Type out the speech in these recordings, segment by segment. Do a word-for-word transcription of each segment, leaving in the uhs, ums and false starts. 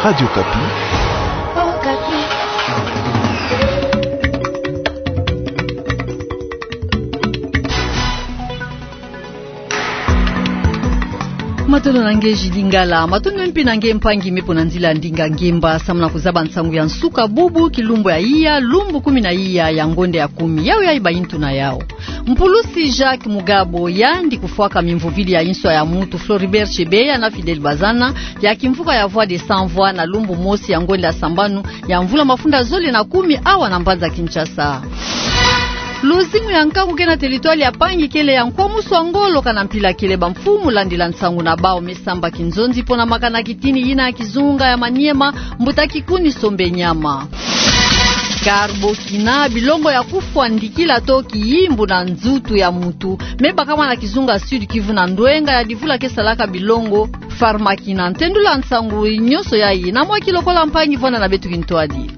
Radio Okapi. Matondo na nge Julie Ngala, matondo mpe na nge mpangi me mpo na nzila ndinga ngemba samu na kuzaba nsangu ya nsuka bubu, kilumbu ya iya, lumbu kumi na iya ya ngonde ya kumi. Yau yayi bayintu na yau. Mpulusi Jacques Mugabo, yandi kufwaka mimvovili ya inswa ya mutu, Floribert Chebeya na Fidèle Bazana, ya kimvuka ya Voix des Sans Voix na lumbu mosi ya ngonde ya sambanu ya mvula mafunda zole na kumi awa na mbanza Kinshasa. Luzingu ya nkangu ke na territoire ya Pangi kele ya nkwamusu ya ngolo kana mpila kele bamfumu landila nsangu na bau me samba kinzonzi mpo na makana kitini yina ya kizunga ya Maniema, mbuta Kikuni Sombe Nyama. Carbokina, bilongo ya kufwa ndikila to kiyimbu na nzutu ya mutu, me bakama na kizunga Sud-Kivu na ndwenga ya divula ke salaka bilongo Pharmakina. Ntendula nsangu nyonso yayi na mwa kilokola mpangi, vwanda na beto kintwadi.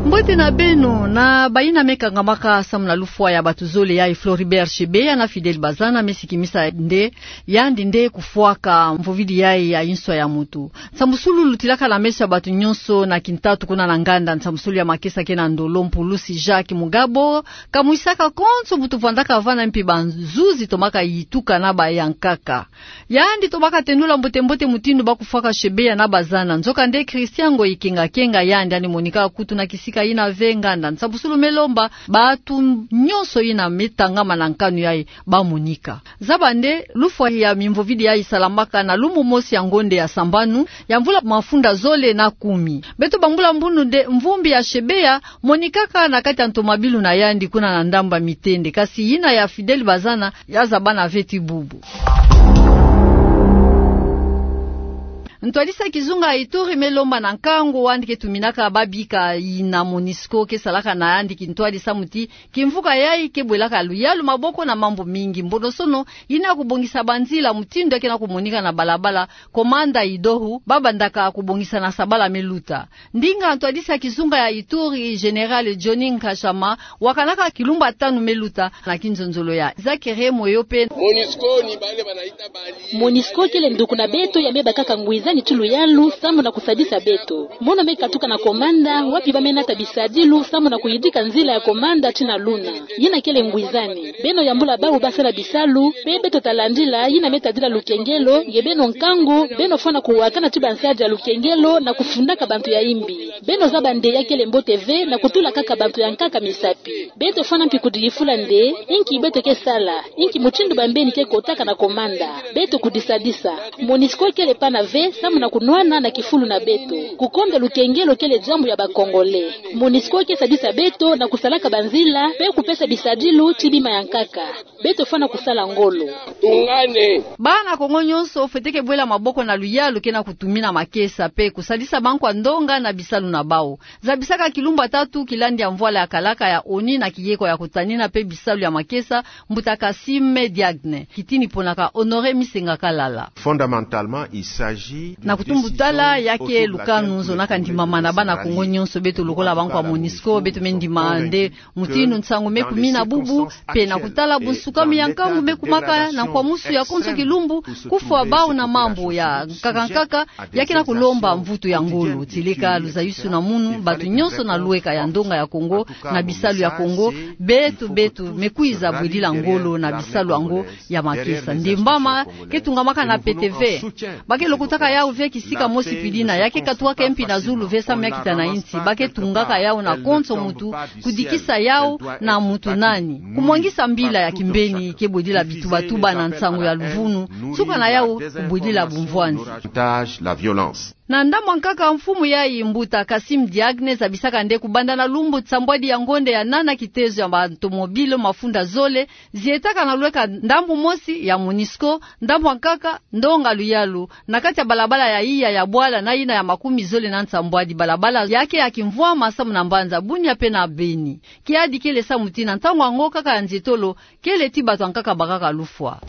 Mbote na beno. Na bayina me kangamaka samu na lufwa ya bato zole yayi, Floribert Chebeya na Fidèle Bazana, me sikimisa nde yandi nde kufwaka mvovili yayi ya inswa ya mutu. Nsambusulu lutilaka na meso ya bato nyonso na kintatu kuna na nganda nsambusulu ya makesa ke na ndolo, mpulusi Jacques Mugabo kamwisaka konso butu vwandaka vana, mpe bazuzi tomaka yituka na bayankaka. Yandi tomaka tendula mbote-mbote mutindu ba kufwaka Chebeya na Bazana. Nzoka nde Christian Ngoyi Kenga-Kenga, yandi yandi monika kutu na kisika yina ve nganda nsambusulu me lomba bato nyonso yina me tangama na nkanu yayi ba monika. Zaba nde lufwa ya mimvovili yayi salamaka na lumbu mosi ya ngonde ya sambanu ya mvula mafunda zole na kumi. Beto bangula mbundu nde mvumbi ya Chebeya monikaka na kati ya ntomabilu na yandi kuna na ndambu ya Mitende, kasi yina ya Fidèle Bazana ya zabana ve ti bubu. Ntwadisi ya kizunga ya Ituri me lomba na nkangu wandi ke tuminaka babika yina Monusco ke salaka na yandi kintwadi samu ti kimvuka yayi ke bwelaka luyalu maboko na mambu mingi. Mbonosono yina ya kubongisa banzila mutindu ya ke na kumonika na balabala Komanda Idohu ba bandaka kubongisa na sabala me luta. Ndinga ntwadisi ya kizunga ya Ituri, Général Johnny Nkashama, wakanaka kilumbu tanu me luta na kinzonzolo ya Zakere Moyo pe. Monusco ni bale bana Monusco kele nduku na beto ya me bakaka ngwizani ti luyalu samu na kusadisa beto. Mono me katuka na Komanda, wapi ba me nata bisadilu samu na kuyidika nzila ya Komanda ti na luna. Yina kele ngwizani. Beno yambula bawu ba sala bisalu, pe beto ta landila yina me tadila lukengelo, nge beno nkangu, beno fwana kuwakana ti bansadi ya lukengelo na kufundaka bantu ya imbi. Beno zaba nde ya kele mbote ve na kutula kaka bantu ya nkaka misapi. Beto fwana mpi kudiyifula nde, inki beto ke sala, inki mutindu bambeni ke kotaka na Komanda. Beto kudisadisa. Monusco kele pana ve, samu na kunwana na kifulu na beto. Kukonda lukengelo kele diambu ya ba Congolais. Monusco ke sadisa beto na kusalaka banzila, pe kupesa bisadilu ti bima ya nkaka. Beto fwana kusala ngolo. Tungane. Bana Kongo nyonso fwete ke bwela maboko na luyalu ke na kutumina makesa, pe kusadisa bankwa ndonga na bisalu na bawu. Zabisaka kilumbu tatu kilandi ya mvwala ya kalaka ya ONU na kiyeko ya kutanina pe bisalu ya makesa, mbuta Kassim Diagne, kitini ponaka Honoré Misenga Kalala. Fondamentalement, il s'agit d'une décision autour de laquelle nous devons réfléchir à l'unité. Fondamentalement, il s'agit d'une décision autour de laquelle nous devons réfléchir à l'unité. Na kutumbu tala ya ke lukanu nzo na ka ndimamana bana Kongo nyonso, beto lukula bankwa Monusco, beto me ndima nde mutindu nsangu me kumina bubu, pe na kutala bunsukami ya nkangu me kumaka na nkwamusu ya konso kilumbu, kufwa bawu na mambu ya nkaka nkaka, ya ke na kulomba mvutu ya ngolo. Tieleka luzayusu na munu, bato nyonso na lweka ya ndonga ya Kongo, na bisalu ya Kongo, beto, beto me kwiza bwedila ngolo na bisalu yango ya makesa. Ndembama ke tungamaka na pete ve. Ba ke lokotaka yawu ve kisika mosi pidina, ya ke katuaka mpi na zulu ve samu ya kita na insi. Ba ke tungaka yawu na konso mutu, kudikisa yawu na mutu nani. Kumwangisa mbila ya kimbeni ke bwedila bitubatuba na nsangu ya luvunu, nsuka na yawu kubwedila bumvwanzi. Na ndambu ya nkaka mfumu yayi, mbuta Kassim Diagne zabisaka nde kubanda na lumbu nsambwadi ya ngonde ya nana kitezo ya bantomobilo mafunda zole zietaka na lweka ndambu mosi ya Monusco, ndambu ya nkaka ndonga luyalu, na kati ya balabala ya iya ya bwala na yina ya makumi zole na nsambwadi, balabala ya ke ya kimvwama samu na mbanza Bunia pe na Beni. Kiadi kele samu ti na ntangu yango kaka ya nzietolo, kele ti bato ya nkaka bakaka lufwa.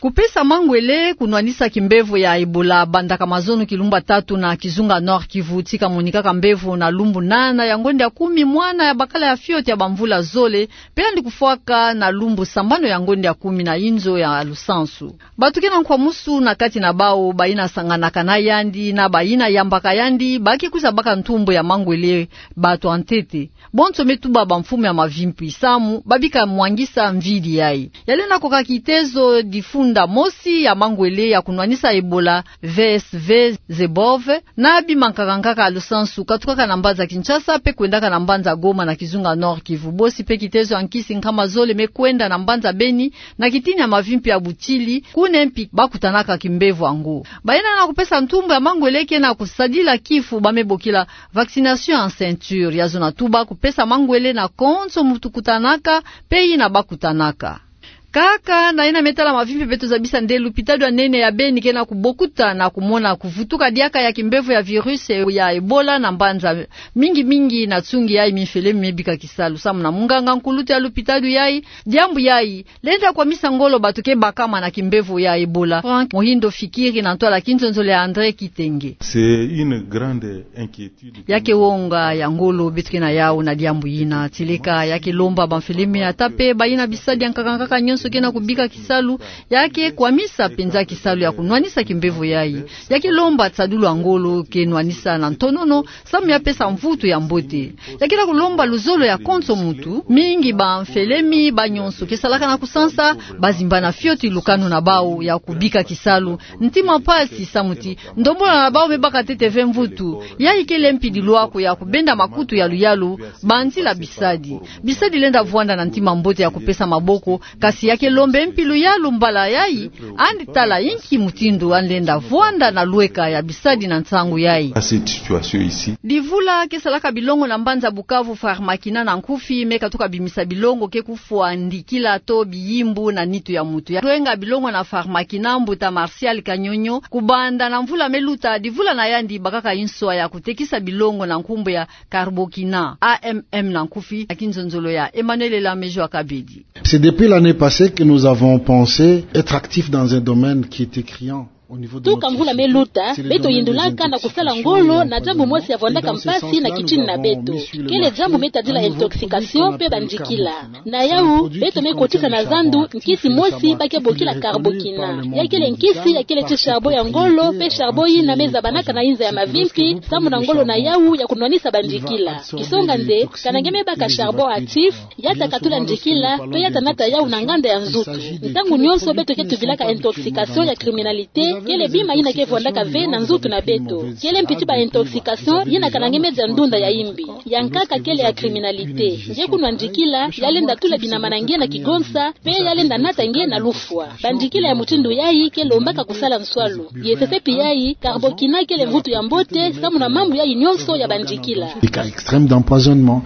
Kupesa mangwele kunwanisa kimbevo ya Ebola bandaka mazono kilumbu tatu na kizunga Nord-Kivu, tika monikaka mbevo na lumbu nana ya ngonde ya kumi mwana ya bakala ya fioti ya bamvula zole, pe yandi kufwaka na lumbu sambanu ya ngonde ya kumi na inzo ya lusansu. Bato ke na nkwamusu na kati na bawu, bayina sanganaka na yandi na bayina yambaka yandi, ba ke kwiza baka ntumbu ya mangwele, bato ya ntete. Bonso me tuba bamfumu ya mavimpi samu babika mwangisa mvidi yayi. Yalenda koka kitezo difunda mosi ya mangwele ya kunwanisa Ebola, V S V Zebov, na bima nkaka nkaka ya lusansu katukaka na mbanza Kinshasa pe kwendaka na mbanza Goma na kizunga Nord-Kivu. Bosi pe kitezo ya nkisi nkama zole me kwenda na mbanza Beni na kitini ya mavimpi ya butili, kuna mpi bakutanaka kimbevo yango. Bayina na kupesa ntumbu ya mangwele ke na kusadila kifu ba me bokila vaccination en ceinture, ya zona tuba kupesa mangwele na konso muntu kutanaka pe yina bakutanaka. Kaka na yina me tala mavimpi, beto zabisa nde lupitalu ya nene ya Beni ke na kubokuta na kumona kuvutuka diaka ya kimbevo ya virus ya Ebola na mbanza mingi mingi na tsungi yayi minfele mi me bika kisalu. Samu na munganga nkuluntu ya lupitalu yayi, diambu yayi lenda kwamisa ngolo bato ke bakama na kimbevo ya Ebola. Franck Mohindo Fikiri na ntwala kinzonzolo ya André Kitenge. C'est une grande inquiétude. Ya ke wonga ya ngolo beto ke na yawu na diambu yina, tileka ya ke lomba bamfele mi ata pe bayina bisadi ya nkaka nkaka nyonso ke na kubika kisalu, ya ke kwamisa mpenza kisalu ya kunwanisa kimbevo yayi. Ya ke lomba tsadulu ya ngolo ke nwanisa na ntonono, samu ya pesa mvutu ya mbote. Ya ke na kulomba luzolo ya konso muntu, mingi bamfele mi ba nyonso ke salaka na kusansa, bazimbana fioti lukanu na bawu ya kubika kisalu. Ntima mpasi samu ti ndombolo na bawu me baka ntete ve mvutu. Yayi kele mpi dilwako ya kubenda makutu ya luyalu, banzila bisadi. Bisadi lenda vwanda na ntima mbote ya kupesa maboko, kasi ya ke lomba mpi luyalu mbala yayi, andi tala inki mutindu andi lenda vwanda na lweka ya bisadi na nsangu yayi. À cette situation ici. Divula ke salaka bilongo na mbanza Bukavu, Pharmakina na nkufi, me katuka bimisa bilongo ke kufwa ndikila to biyimbu na nitu ya muntu. Ya lwenga bilongo na Pharmakina, mbuta Martial Kanyonyo, kubanda na mvula me luta, divula na yandi bakaka nswa ya kutekisa bilongo na nkumbu ya Carbokina, A M M na nkufi, na kinzonzolo ya Emmanuel Elamejo Akabedi. C'est depuis l'année passée que nous avons pensé être actifs dans un domaine qui était criant au niveau de notre société. Tuka mvula me luta, beto yindulaka na kusala ngolo na diambu mosi ya vwandaka mpasi na kitini na beto. Kele diambu me tadila intoxication pe bandikila. Na yawu, beto me kotisa na zandu nkisi mosi ba ke bokila Carbokina. Ya kele nkisi ya kele ti charbon ya ngolo, pe charbon yina me zabanaka na inza ya mavimpi, samu na ngolo na yawu ya kunwanisa bandikila. Kisonga nde, kana nge me baka charbon actif, ya ta katula ndikila, pe ya ta nata yawu na nganda ya nzutu. Ntangu nyonso beto ke tubilaka intoxication ya criminalité, kele bima yina ke vwandaka ve na nzutu na beto. Kele mpi ti ba intoxication yina kana nge me dia ndunda ya imbi. Ya nkaka kele ya criminalité. Nge kunwa ndikila, ya lenda tula binama na nge na kigonsa, pe ya lenda nata nge na lufwa. Bandikila ya mutindu yayi ke lombaka kusala nswalu. Ye sese mpi yayi, Carbokina kele mvutu ya mbote, samu na mambu yayi nyonso ya bandikila. Des cas extrêmes d'empoisonnement.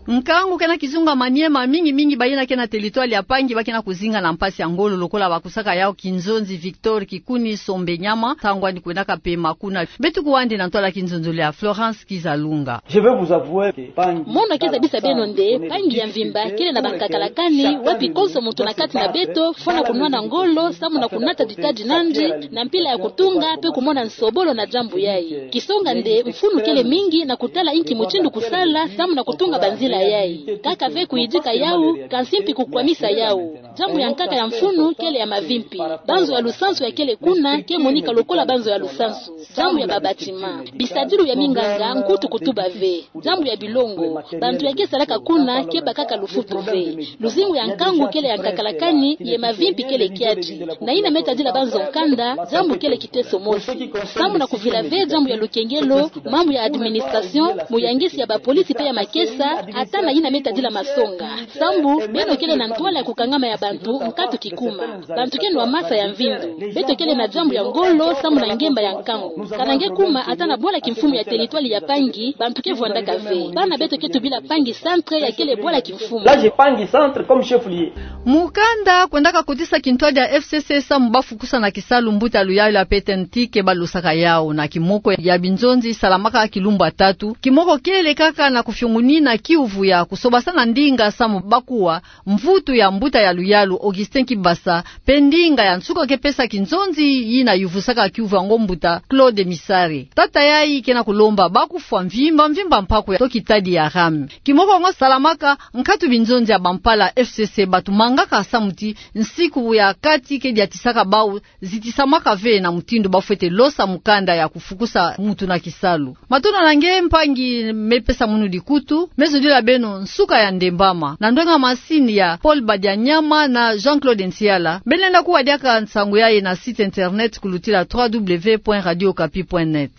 Nkangu ke na kizunga Maniema, mingi mingi bayina ke na territoire ya Pangi ba ke na kuzinga na mpasi ya ngolo lokola bakusaka yawu kinzonzi Victor Kikuni Sombe Nyama, ntangu yandi kwendaka pema kuna. Beto kuwa nde na ntwala kinzonzolo ya Florence Kizalunga. Je vais vous avouer que Pangi... Mono ke zabisa beno nde, Pangi ya mvimba kele na bankakala kani, wapi konso muntu na kati na beto fwana kunwana ngolo, samu na kunata ditadi nandi, na mpila ya kutunga, pe kumona nsobolo na diambu yayi. Kisonga nde, mfunu kele mingi na kutala inki mutindu kusala, samu na kutunga banzila yayi. Kaka ve kuyidika yawu, kansi mpi kukwamisa yawu. Diambu ya nkaka ya mfunu kele ya mavimpi. Banzo ya lusansu ya kele kuna ke monika lokola banzo ya lusansu. Diambu ya ba bâtiment. Bisadilu ya minganga nkutu kutuba ve. Diambu ya bilongo. Bantu ya ke salaka kuna ke bakaka lufutu ve. Luzingu ya nkangu kele ya nkakala kani, ye mavimpi kele kiadi. Na yina me tadila banzo nkanda, diambu kele kiteso mosi. Samu na kuvila ve diambu ya lukengelo, mambu ya administration, muyangisi ya bapolisi pe ya makesa, ata na yina me tadila masonga. Sambu, beno kele na ntwala ya kukangama ya bantu, nkatu kikuma. Bantu ke nwa masa ya mvindu. Beto kele na diambu ya ngolo, samu na ngemba ya nkangu. Kana nge kuma ata na bwala kimfumu ya territoire ya Pangi, bantu ke vwandaka ve. Bana beto ke tubila Pangi centre ya kele bwala kimfumu. Là, j'ai Pangi centre comme chef-lieu. Mukanda kwendaka kotisa kintwadi ya F C C samu ba fukusa na kisalu mbuta luyalu ya Petenti ke ba losaka yawu na kimoko ya binzonzi salamaka kilumbu tatu. Kimoko kele kaka na kufiongunina kiuvu ya kusobasana ndinga samu bakuwa, mvutu ya mbuta ya luyalu Augustin Kibasa, mpe ndinga ya nsuka ke pesa kinzonzi yina yuvusaka kiuvu ya ngo mbuta Claude Misare. Tata yayi kena kulomba bakufwa mvimba mvimba mpaku ya to kitadi ya rame. Kimoko ngo salamaka, nkatu binzonzi ya bampala F C C batumangaka samu ti nsiku ya kati ke diatisaka bau zitisamaka ve na mutindu bafwete losa mukanda ya kufukusa mutu na kisalu. Matondo na nge mpangi me pesa munu dikutu, me zodila beno nsuka ya ndembama. Na ndwenga masini ya Paul Badianyama na Jean-Claude Nsiala, beno lenda kuwa diaka nsangu yayi na site internet kulutila trois W point radio okapi point net.